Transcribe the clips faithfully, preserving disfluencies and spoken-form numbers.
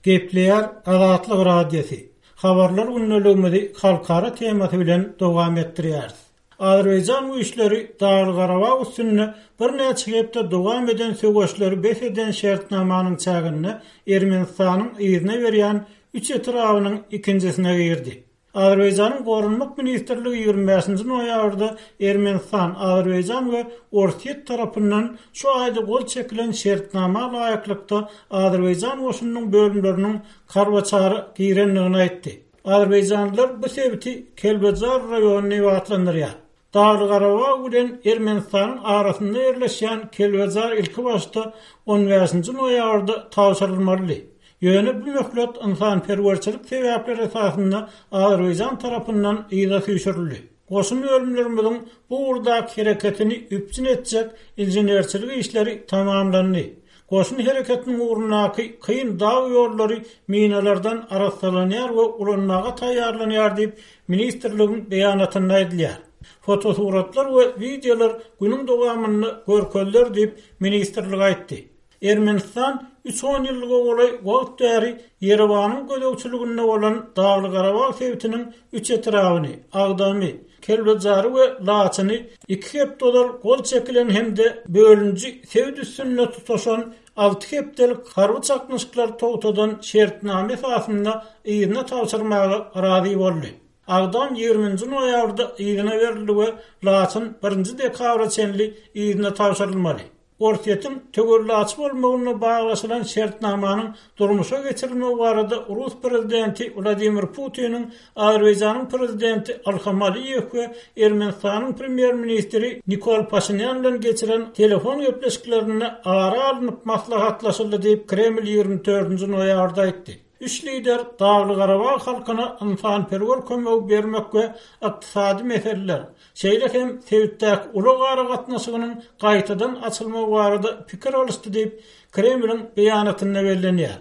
Gepleýär Azatlyk Radiosy. Habarlar gündeligimizi halkara temasy bilen dowam etdirýäris. Azerbaýjan güýçleri Dagly-Garabag üstünde birnäçe hepde dowam eden söweşleri bes eden şertnamanyň çäginde Ermenistanyň yzyna berýän üç etrabynyň ikinjisine girdi. Azerbaýjanyň Goranmak ministrligi ýigrimi bäşinji noýabrda Ermenistan, Azerbaýjan we Orsýet tarapyndan şu aýda gol çekilen şertnama laýyklykda Azerbaýjan goşunynyň bölümleriniň Karwaçara girendigini aýtdy. Azerbaýjanlylar bu sebiti Kelbejar raýony diýip atlandyrýar. Dagly-Garabag bilen Ermenistanyň arasynda ýerleşýän Kelbejar ilkibaşda on bäşinji noýabrda tabşyrylmalydy. Ýöne bu möhlet ynsanperwerçilik sebäpleri esasynda Azerbaýjan tarapyndan yza süýşürildi. Goşun bölümlerimiziň bu ugurdaky hereketini üpjün etjek inženerçilik işleri tamamlandy. Goşun hereketiniň ugrundaky kyn dag ýollary minalardan arassalanýar we ulanmaga taýýarlanýar diýip, ministrligiň beýanatynda aýdylýar. Fotosuratlar we wideolar günüň dowamynda görkeziler diýip, ministrlik aýtdy. Ermenistan üç on ýyllyga golaý wagt bäri Ýerewanyň gözegçiliginde bolan Dagly-Garabag sebitiniň üç etrabyny, Agdamy, Kelbejary we Laçyny iki hepde ozal gol çekilen hem-de bölünji sebit üstünde tutaşan alty hepdelik harby çaknyşyklary togtadan şertnama esasynda yzyna tabşyrmaga razy boldy. Agdam ýigriminji noýabrda yzyna berildi we Laçyn birinji dekabra çenli yzyna tabşyrylmaly. Orsýetiň töwellaçy bolmagyna baglaşylan şertnamanyň durmuşa geçirilmegi barada Rus prezidenti Wladimir Putiniň Azerbaýjanyň prezidenti Ilham Aliýew we Ermenistanyň premýer-ministri Nikol Paşinyan bilen geçiren telefon gepleşiklerinde ara alnyp maslahatlaşyldy diýip Kreml ýigrimi dördünji noýabrda aýtdy. Üç lider Dagly-Garabag halkyna ynsanperwer kömegi bermek we ykdysady meseleler, şeýle hem sebitdäki ulag aragatnaşygynyň gaýtadan açylmagy barada pikir alyşdy diýip Kremliň beýanatynda bellenýär.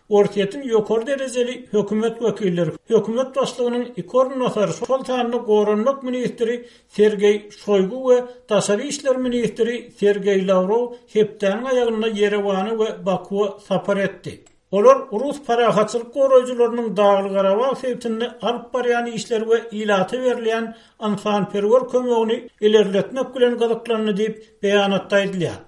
Orsýetiň ýokary derejeli hökümet wekilleri, hökümet başlygynyň iki orunbasary, şol sanda Goranmak ministri Sergeý Şoýgu we Daşary işler ministri Sergeý Lawrow hepdäniň aýagynda Ýerewana we Bakuwa sapar etdi. Olar Rus parahatçylyk goraýjylarynyň Dagly-Garabag sebitinde alyp barýan işleri we ilata berilýän ynsanperwer kömegini ilerletmek bilen gyzyklandy diýip beýanatda aýdylýar.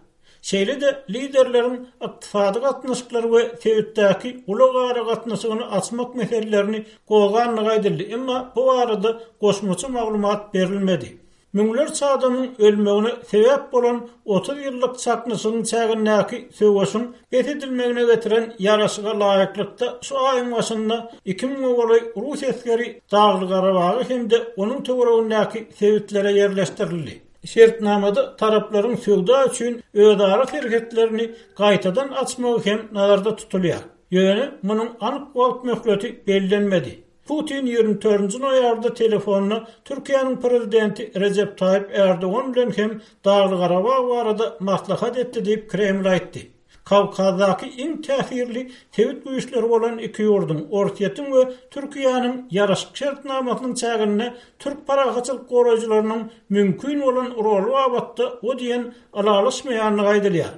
Şeýle-de liderleriň ykdysady gatnaşyklary we sebitdäki ulag aragatnaşygyny açmak meselelerini gozgandygy aýdyldy, emma bu barada goşmaça maglumat berilmedi. Müňlerçe adamyň ölmegine sebäp bolan otuz ýyllyk çaknyşygyň çägindäki söweşiň bes edilmegine getiren ýaraşyga laýyklykda şu aýyň başynda iki müňe golaý rus esgeri Dagly-Garabaga hem-de onuň töweregindäki sebitlere ýerleşdirildi. Şertnamada taraplaryň söwda üçin özara serhetlerini gaýtadan açmagy hem nazarda tutulýar. Ýöne munuň anyk wagt möhleti bellenmedi. Putin ýigrimi dördünji noýabrda telefonda Türkiýäniň prezidenti Rejep Taýyp Erdogan bilen hem Dagly-Garabag barada maslahat etdi diýip Kreml aýtdy. Kawkazdaky iň täsirli sebit güýçleri bolan iki ýurduň, Orsýetiň we Türkiýäniň ýaraşyk şertnamasynyň çäginde türk parahatçylyk goraýjylarynyň mümkin bolan roly babatda o diýen ylalaşmaýandygy aýdylýar.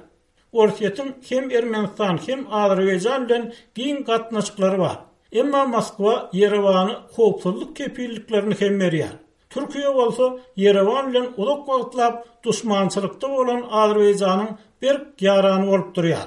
Orsýetiň hem Ermenistan hem Azerbaýjan bilen giň gatnaşyklary bar. Emma Moskwa Ýerewany howpsuzlyk kepilliklerini hem berýär. Türkiýe bolsa Ýerewan bilen uzak wagtlap duşmançylykda bolan Azerbaýjanyň berk ýarany bolup durýar.